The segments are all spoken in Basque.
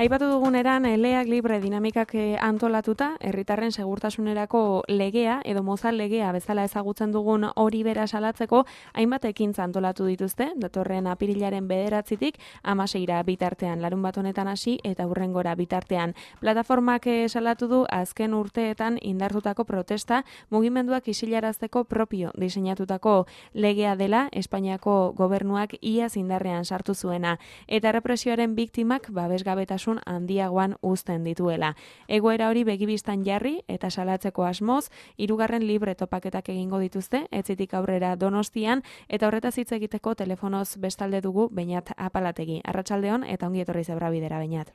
Aipatu duguneran, leak libre dinamikak antolatuta, herritarren segurtasunerako legea edo mozal legea bezala ezagutzen dugun hori bera salatzeko, hainbat ekintza antolatu dituzte, datorren apirilaren 9-tik 16 bitartean, larun bat honetan hasi eta hurrengora bitartean. Plataformak salatu du azken urteetan indartutako protesta mugimenduak isilarazteko propio diseinatutako legea dela Espainiako gobernuak iaz indarrean sartu zuena, eta represioaren biktimak babesgabetasun handiagoan uzten dituela. Egoera hori begibistan jarri eta salatzeko asmoz, 3. libre topaketak egingo dituzte, etzitik aurrera Donostian, eta horretaz hitz egiteko telefonoz bestalde dugu Beñat Apalategi. Arratsaldeon eta ongi etorri Zebrabidera, Beñat.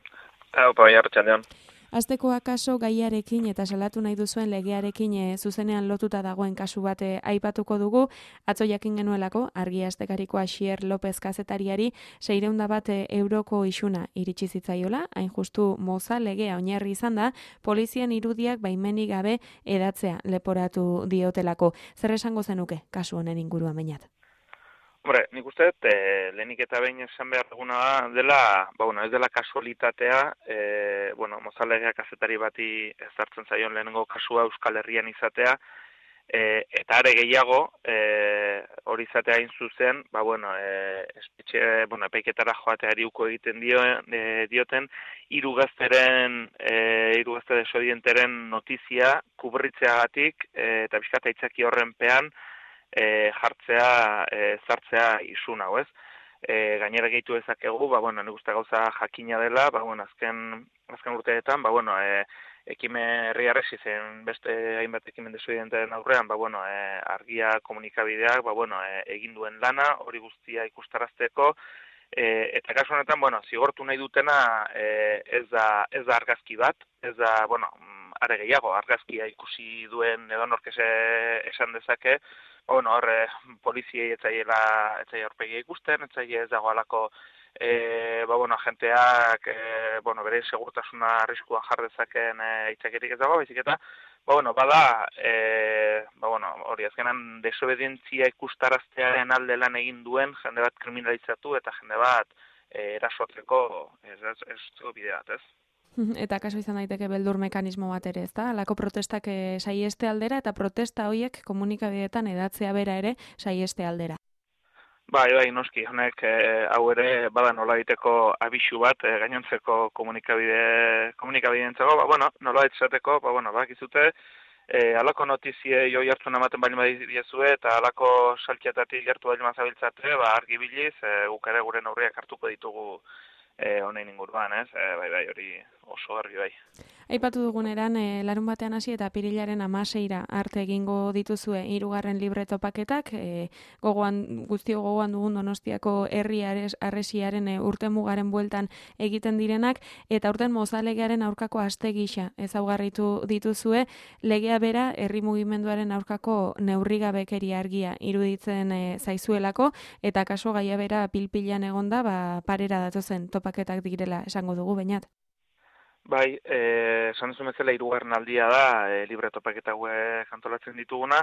Bai, arratsaldeon. Hasteko akaso gaiarekin eta salatu nahi duzuen legearekin zuzenean lotuta dagoen kasu bat aipatuko dugu. Atzo jakin genuelako, Argia astekariko Asier López kazetariari 600.000 euroko isuna iritsi zitzaiola, hain justu moza legea oinarri izan da, polizian irudiak baimenik gabe edatzea leporatu diotelako. Zer esango zenuke kasu honen inguruan, Beñat? Hombre, nik uste dut, lehenik eta behin esan behar duguna dela, ez dela kasualitatea, mozalegeak kazetari bati ezartzen zaion lehenengo kasua Euskal Herrian izatea, eta are gehiago, hori izatea hain zuzen, epaiketara joateari uko egiten dioten, hiru gazte desobedienteren notizia kubritzeagatik, eta pixkat aitzaki horrenpean, zartzea isun hau, ez? Gainera gehitu dezakegu, nik uste gauza jakina dela, azken urteetan, ekimen herri arresi zen beste hainbat ekimen desobedientaren aurrean, Argia komunikabideak, egin duen lana, hori guztia ikustarazteko, eta kasu honetan, zigortu nahi dutena ez da argazki bat, ez da, are gehiago, argazkia ikusi duen edonork esan dezake, poliziei etzaile aurpegia ikusten, ez dagoelako agenteak bere segurtasuna arriskuan jar dezaken itzakerik ez dago, baizik eta hori azkenan desobedientzia ikustaraztearen alde lan egin duen jende bat kriminalizatu eta jende bat erasotzeko ez bide bat, ez? Eta kaso izan daiteke beldur mekanismo bat ere, ezta? Halako protestak saieste aldera eta protesta horiek komunikabideetan edatzea bera ere saieste aldera. Bai, noski, honek hau ere bada nola egiteko abisu bat gainontzeko komunikabideentzako, nola egiteko, bakizute, halako notizie joi hartzun ematen bali badiezue eta halako salkietatik gertu bali mazabiltzate, argi biliz, guk ere gure neurriak hartuko ditugu honein inguruan, ez? Hori oso argi bai. Aipatu duguneran, larun batean hasi eta apirilaren 16 arte egingo dituzue 3. libre topaketak, guztio gogoan dugun Donostiako herri arresiaren urtemugaren bueltan egiten direnak, eta urten mozalegearen aurkako aste gisa ezaugarritu dituzue, legea bera herri mugimenduaren aurkako neurrigabekeria argia iruditzen zaizuelako, eta kaso gaia bera pilpilan egonda, parera datozen topaketak direla esango dugu, Beñat. Bai, esan duzu bezala 3. aldia da, libre topaketa hauek antolatzen dituguna.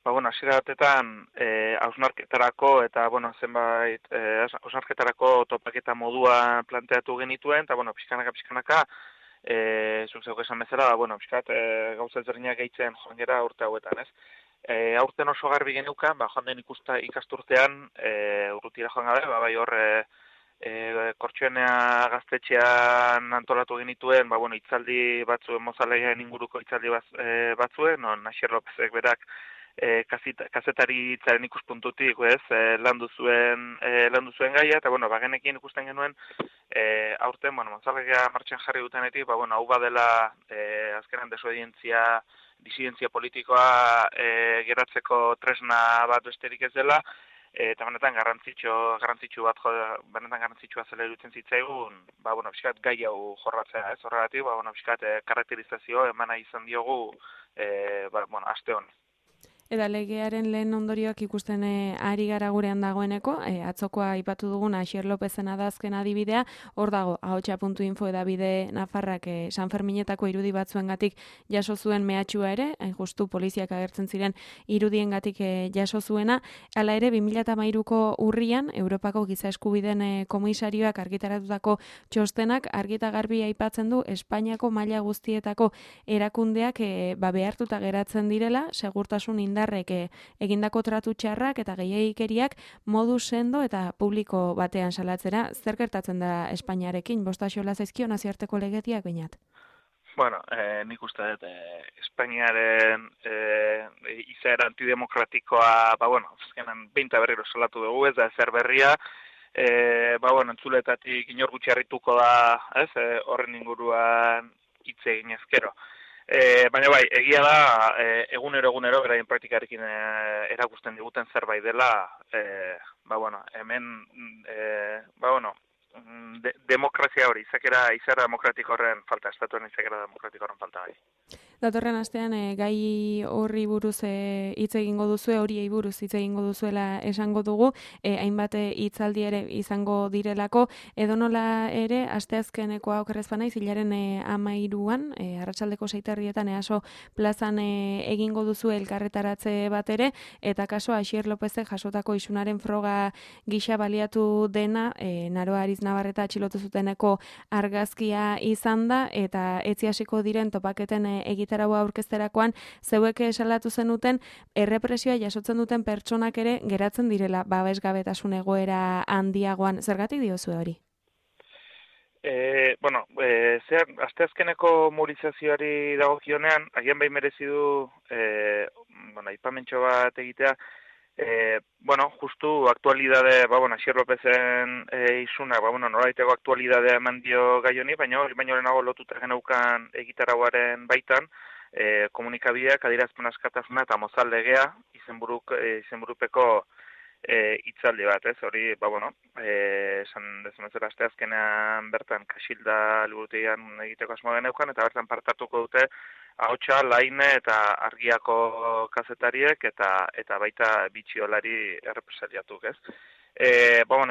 Hasiera batetan, hausnarketarako eta, zenbait, hausnarketarako topaketa modua planteatu genituen, eta, pixkanaka, zuk zeuk esan bezala, gauza ezberdinak gehitzen joan gera urte hauetan, ez? Aurten oso garbi genukan, joan den ikasturtean, urrutira joan gabe, Kortxoenea gaztetxean antolatu genituen, hitzaldi batzuen mozalegean inguruko hitzaldi batzuen, Asier Lópezek berak kazetaritzaren ikuspuntutik, landu zuen gaia, eta bagenekin ikusten genuen aurten, mozalegea martxan jarri dutenetik, hau badela azkenan disidentzia politikoa geratzeko tresna bat besterik ez dela, eta benetan garrantzitsua zela iruditzen zitzaigun, pixkat gai hau jorratzea, ez? Horregatik, pixkat karakterizazio emana izan diogu, aste hon. Eta legearen lehen ondorioak ikusten ari gara gurean dagoeneko, atzokoa aipatu dugun Asier Lopezen adazken adibidea, hor dago ahotsa.info edabide Nafarrak San Ferminetako irudi batzuengatik jaso zuen mehatxua ere, hain justu poliziak agertzen ziren irudiengatik jaso zuena, hala ere 2013ko urrian Europako Giza Eskubideen komisarioak argitaratutako txostenak argita garbi aipatzen du Espainiako maila guztietako erakundeak behartuta geratzen direla, segurtasun indarrek egindako tratu txarrak eta gehiegikeriak modu sendo eta publiko batean salatzera. Zer gertatzen da Espainiarekin? Bosta xola zaizkio nazioarteko legediak bainat? Bueno, nik uste dut, Espainiaren izaera antidemokratikoa, azkenan behinta berriro salatu dugu, ez da ezer berria, entzuletatik inor gutxi harrituko da, ez, horren inguruan hitz egin ezkero. Baina bai, egia da, egunero, beraien praktikarekin erakusten diguten zerbait dela, hemen, demokrazia hori, izara demokratiko horren falta, estatuen izakera demokratiko horren falta bai. Datorren astean gai horri buruz hitz egingo duzue, horiei buruz hitz egingo duzuela esango dugu, hainbat hitzaldi ere izango direlako, edonola ere asteazkenekoa okerrez banaiz, hilaren 13an, arratsaldeko 6:00 EASO plazan egingo duzu elkarretaratze bat ere, eta kaso Asier Lopezek jasotako isunaren froga gisa baliatu dena, Naroa Ariz Navarreta atxilotu zuteneko argazkia izan da, eta etzi hasiko diren topaketen egitaraua aurkezterakoan, zeuek salatu zenuten, errepresioa jasotzen duten pertsonak ere geratzen direla babesgabetasun egoera handiagoan. Zergatik diozue hori? Asteazkeneko mobilizazioari dagokionean, agian bai merezi du, aipamentxo bat egitea, justu aktualidade, Asier Lopezen isuna, noraiteko aktualidadea eman dio gai honi, baina lehenago lotuta geneukan egitarauaren baitan, komunikabideak adierazpen askatasuna eta mozal legea izenburupeko hitzaldi bat, ez? Hori, esan dezunezera asteazkenean bertan Kaxilda liburutegian egiteko asmoa geneukan, eta bertan partatuko dute Ahotsa, Laine eta Argiako kazetariek eta baita bitxiolari errepresaliatuk, ez?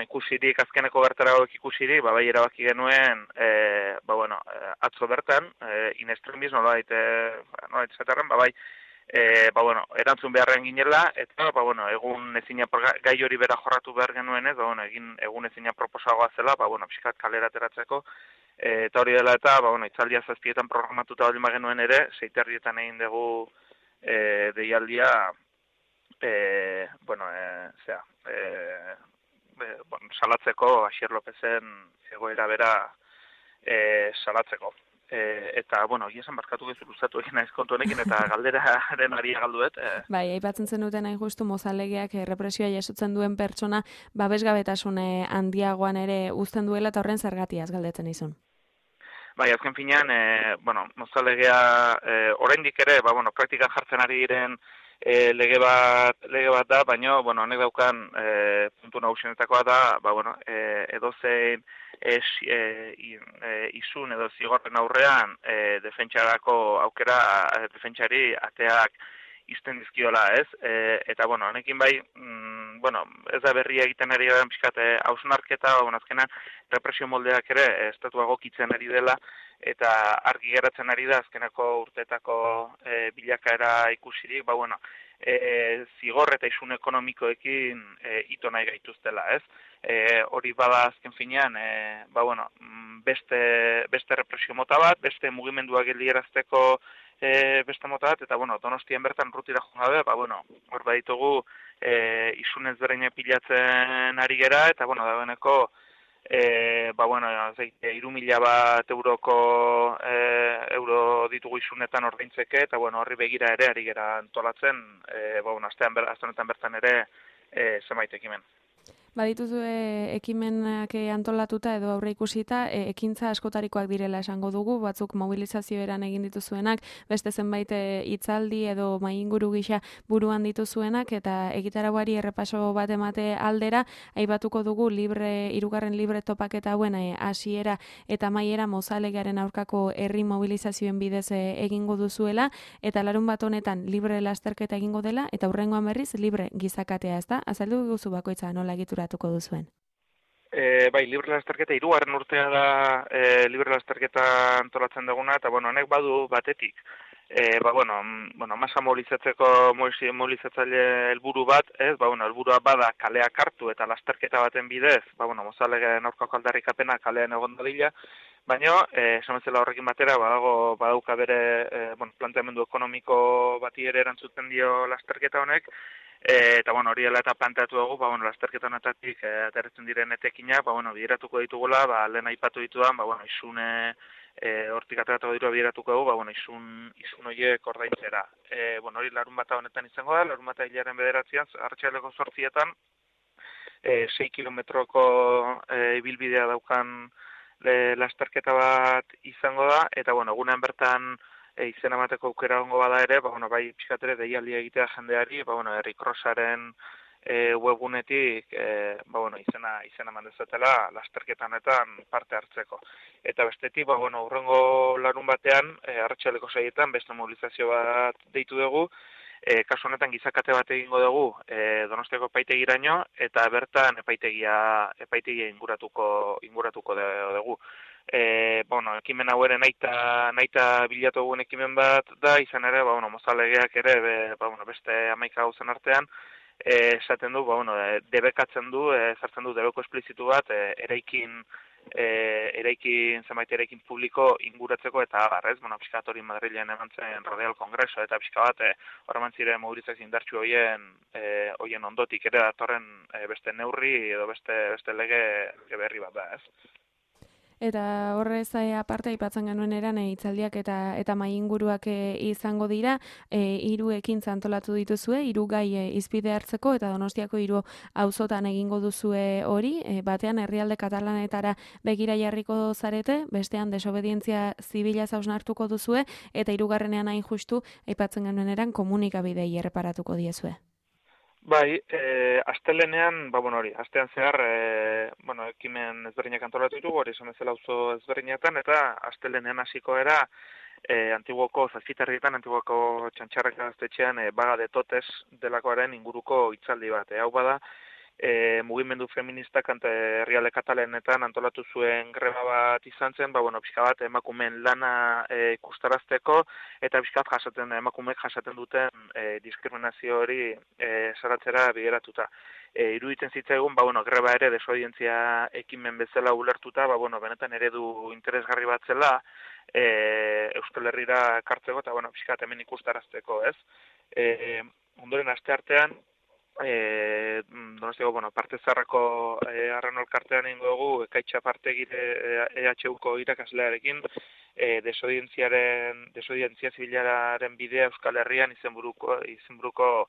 Ikusirik, azkeneko bertaragoek ikusirik, bai erabaki genuen, atzo bertan, in extremis, nolabait esaterren, erantzun beharren ginela, eta, egun ezina, gai hori bera jorratu behar genuen, ez, egun ezina proposagoa zela, pixkat kalera ateratzeko, eta hori dela eta, itzaldia 7:00 programatuta baldin genuen ere, 6:00 egin dugu deialdia, salatzeko, Asier Lopezen egoera bera salatzeko. Eta, esan barkatu gezu luzatu egin naiz kontu honekin, eta galderaren ari galduet. Bai, aipatzen zenuten hain justu mozalegeak represioa jasotzen duen pertsona babesgabetasun handiagoan ere uzten duela, eta horren zergatiaz galdetzen izun. Bai, azken finean, mozalegea oraindik ere, praktikan jartzen ari diren lege bat da, baina, honek daukan puntu nagusienetakoa da, edozein izun edo zigorren aurrean defentsarako aukera defentsari ateak izten dizkiola, ez? Eta, honekin bai, ez da berria egiten ari garen pixkat hausnarketa, azkenan represio moldeak ere estatua egokitzen ari dela, eta argi geratzen ari da azkenako urteetako bilakaera ikusirik, zigor eta isun ekonomikoekin ito nahi gaituztela, ez? Hori bada azken finean, beste represio mota bat, beste mugimenduak geldiarazteko beste mota bat, eta Donostian bertan rutira joan gabe, hor baditugu isun ezberdina pilatzen ari gera, eta dagoeneko 3.000 bat euro ditugu isunetan ordaintzeke, eta horri begira ere ari gera antolatzen, aste honetan bertan ere zenbait ekimen. Badituzue ekimenak antolatuta edo aurre ikusita, ekintza askotarikoak direla esango dugu, batzuk mobilizazioeran egin dituzuenak, beste zenbait hitzaldi edo mainguru gisa buruan dituzuenak, eta egitarauari errepaso bat emate aldera, aipatuko dugu hirugarren libre topaketa hauen hasiera eta amaiera Mozalegearen aurkako herri mobilizazioen bidez egingo duzuela, eta larun bat honetan libre lasterketa egingo dela, eta hurrengoan berriz libre gizakatea, ezta? Azaldu guzu bakoitza nola egituratuko duzuen. Bai, libre lasterketa, hirugarren urtea da libre lasterketa antolatzen duguna, eta honek badu batetik. Masa mobilizatzaile helburu bat, helburua bada kaleak hartu eta lasterketa baten bidez, Mozalegeen aurkako aldarrikapena kalean egon dadila, baina, esan bezala horrekin batera, badauka bere planteamendu ekonomiko bati ere erantzuten dio lasterketa honek, eta hori dela eta planteatu dugu, lasterketa honetatik ateratzen diren etekina, bideratuko ditugula, lehen aipatu ditudan, isune hortik ateratuko dirua bideratuko dugu, isun horiek ordaintzera. Hori larun bata honetan izango da, larun bata hilaren bederatzean, arratsaleko 8etan, 6 kilometroko ibilbidea daukan lasterketa bat izango da, eta egunean bertan izena emateko aukera egongo bada ere, bai pixkat ere deialdia egitea jendeari, herri crossaren webgunetik izena eman dezatela lasterketa honetan parte hartzeko. Eta bestetik, hurrengo larun batean, arratsaleko 6etan beste mobilizazio bat deitu dugu, kasu honetan gizakate bat egingo dugu Donostiako epaitegiraino, eta bertan epaitegia inguratuko dugu. Ekimen hau ere nahita bilatu dugun ekimen bat da, izan ere, Mozalegeak ere, beste 11 gauzen artean, esaten du, debekatzen du, zartzen du debeko esplizitu bat, zenbait eraikin publiko inguratzeko eta abar, ez? Pixkat hori Madrilen eman zen Radial Kongreso, eta pixka bat, horreman ziren mobilizazio indartsu hoien ondotik ere datorren beste neurri edo beste lege berri bat da, ez? Eta horrez aparte aipatzen genuen eran hitzaldiak eta maiinguruak izango dira, 3 ekintza antolatu dituzue, 3 gai hizpide hartzeko, eta Donostiako 3 auzotan egingo duzue hori, batean herrialde katalanetara begira jarriko zarete, bestean desobedientzia zibila hausnartuko duzue, eta 3. hain justu aipatzen genuen eran komunikabidei erreparatuko diezue. Bai, astelenean, astean zehar, ekimen ezberdinak antolatu ditugu, hori esan bezala auzo ezberdinetan, eta astelenean hasiko era, Antiguoko Zazpitarrietan, Antiguoko Txantxarrek gaztetxean, Baga de Totes delakoaren inguruko hitzaldi bat. Hau bada, mugimendu feministak herrialde katalanetan antolatu zuen greba bat izan zen, pixka bat emakumeen lana ikustarazteko, eta pixka bat emakumeek jasaten duten diskriminazio hori saratzera bideratuta. Iruditzen zitzaigun, greba ere desobedientzia ekimen bezala ulertuta, benetan eredu interesgarri bat zela, Euskal Herrira kartzeko, eta pixka bat hemen ikustarazteko, ez? Ondoren asteartean, Donostiako, parte zarrako Arrano elkartean egingo dugu, Ekaitxa Partegire EHUko irakaslearekin, desobedientzia zibilaren bidea Euskal Herrian izenburuko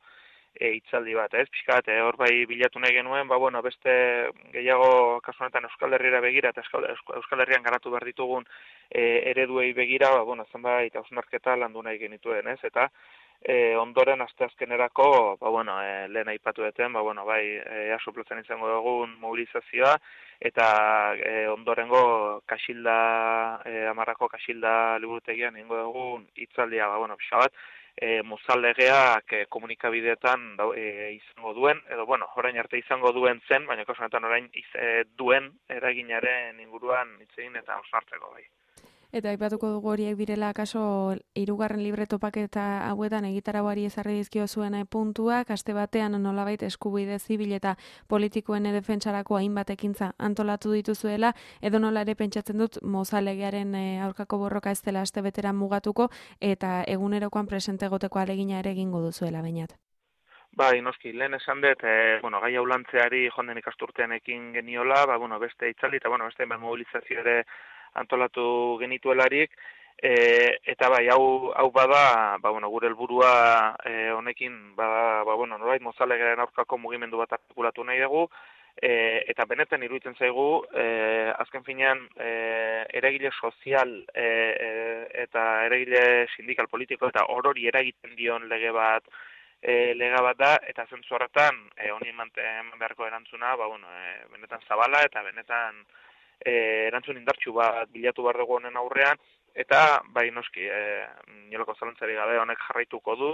hitzaldi bat, ez? Pixkat, hor bai bilatu nahi genuen, beste gehiago kasu honetan Euskal Herrira begira eta Euskal Herrian garatu behar ditugun ereduei begira, zenbait hausnarketa landu nahi genituen, ez? Eta ondoren asteazkenerako, lehen aipatu deten, EASO plazan izango dugun mobilizazioa, eta ondorengo Kaxilda, Amarrako Kaxilda liburutegian egingo dugun hitzaldia, pixka bat, Mozalegeak komunikabideetan izango duen, edo, orain arte izango duen zen, baina kasu honetan orain duen eraginaren inguruan hitz egin eta hausnartzeko bai. Eta aipatuko dugu horiek direla kaso 3. libre topaketa hauetan egitarauari ezarri dizkio zuen puntuak, aste batean nolabait eskubide zibil eta politikoen defentsarako hainbat ekintza antolatu dituzuela, edo nola ere pentsatzen dut Mozalegearen aurkako borroka ez dela aste beteran mugatuko, eta egunerokoan presente egoteko alegina ere egingo duzuela bainat. Bai, noski, lehen esan dut, gai hau lantzeari jonden ikasturtean ekin geniola, beste hitzaldi eta beste mobilizazio ere antolatu genituelarik, eta bai, hau bada, gure helburua honekin, norbait Mozalegeren aurkako mugimendu bat artikulatu nahi dugu, eta benetan iruditzen zaigu, azken finean, eragile sozial eta eragile sindikal politiko eta orori eragiten dion lege bat da, eta zentzu horretan, honi eman beharko erantzuna, benetan zabala eta benetan erantzun indartsu bat bilatu behar dugu honen aurrean, eta bai noski, inolako zalantzari gabe honek jarraituko du,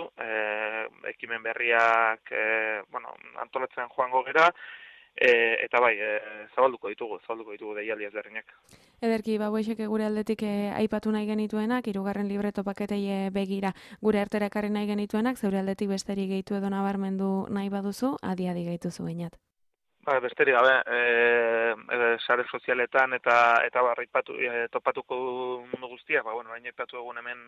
ekimen berriak antolatzen joango gera, eta bai, zabalduko ditugu deialdi ezberdinak. Ederki, hauexek gure aldetik aipatu nahi genituenak, 3. libreto paketei begira gure artera ekarri nahi genituenak, zeure aldetik besterik gehitu edo nabarmendu nahi baduzu, adi gehituzu bainat. Besterik gabe, sare sozialetan eta topatuko mundu guztiak, baina aipatu egun hemen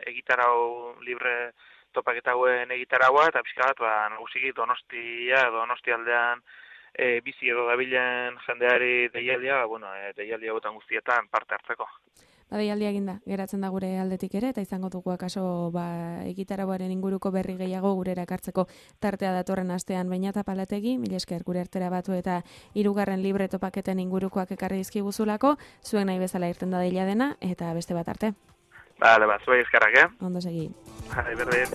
egitarau libre topaketa hauen egitaraua, eta pixka bat, nagusiki Donosti aldean bizi edo dabilen jendeari deialdia, deialdia hauetan guztietan parte hartzeko. Deialdia eginda, geratzen da gure aldetik ere, eta izango dugu akaso egitarauaren inguruko berri gehiago gurera ekartzeko tartea datorren astean Beñat Apalategi, mila esker gure artera batu eta 3. libreto paketen ingurukoak ekarri dizkiguzulako, zuen nahi bezala irten da deila dena, eta beste bat arte. Bale, zuei eskerrak, Ondo segi. Berdin.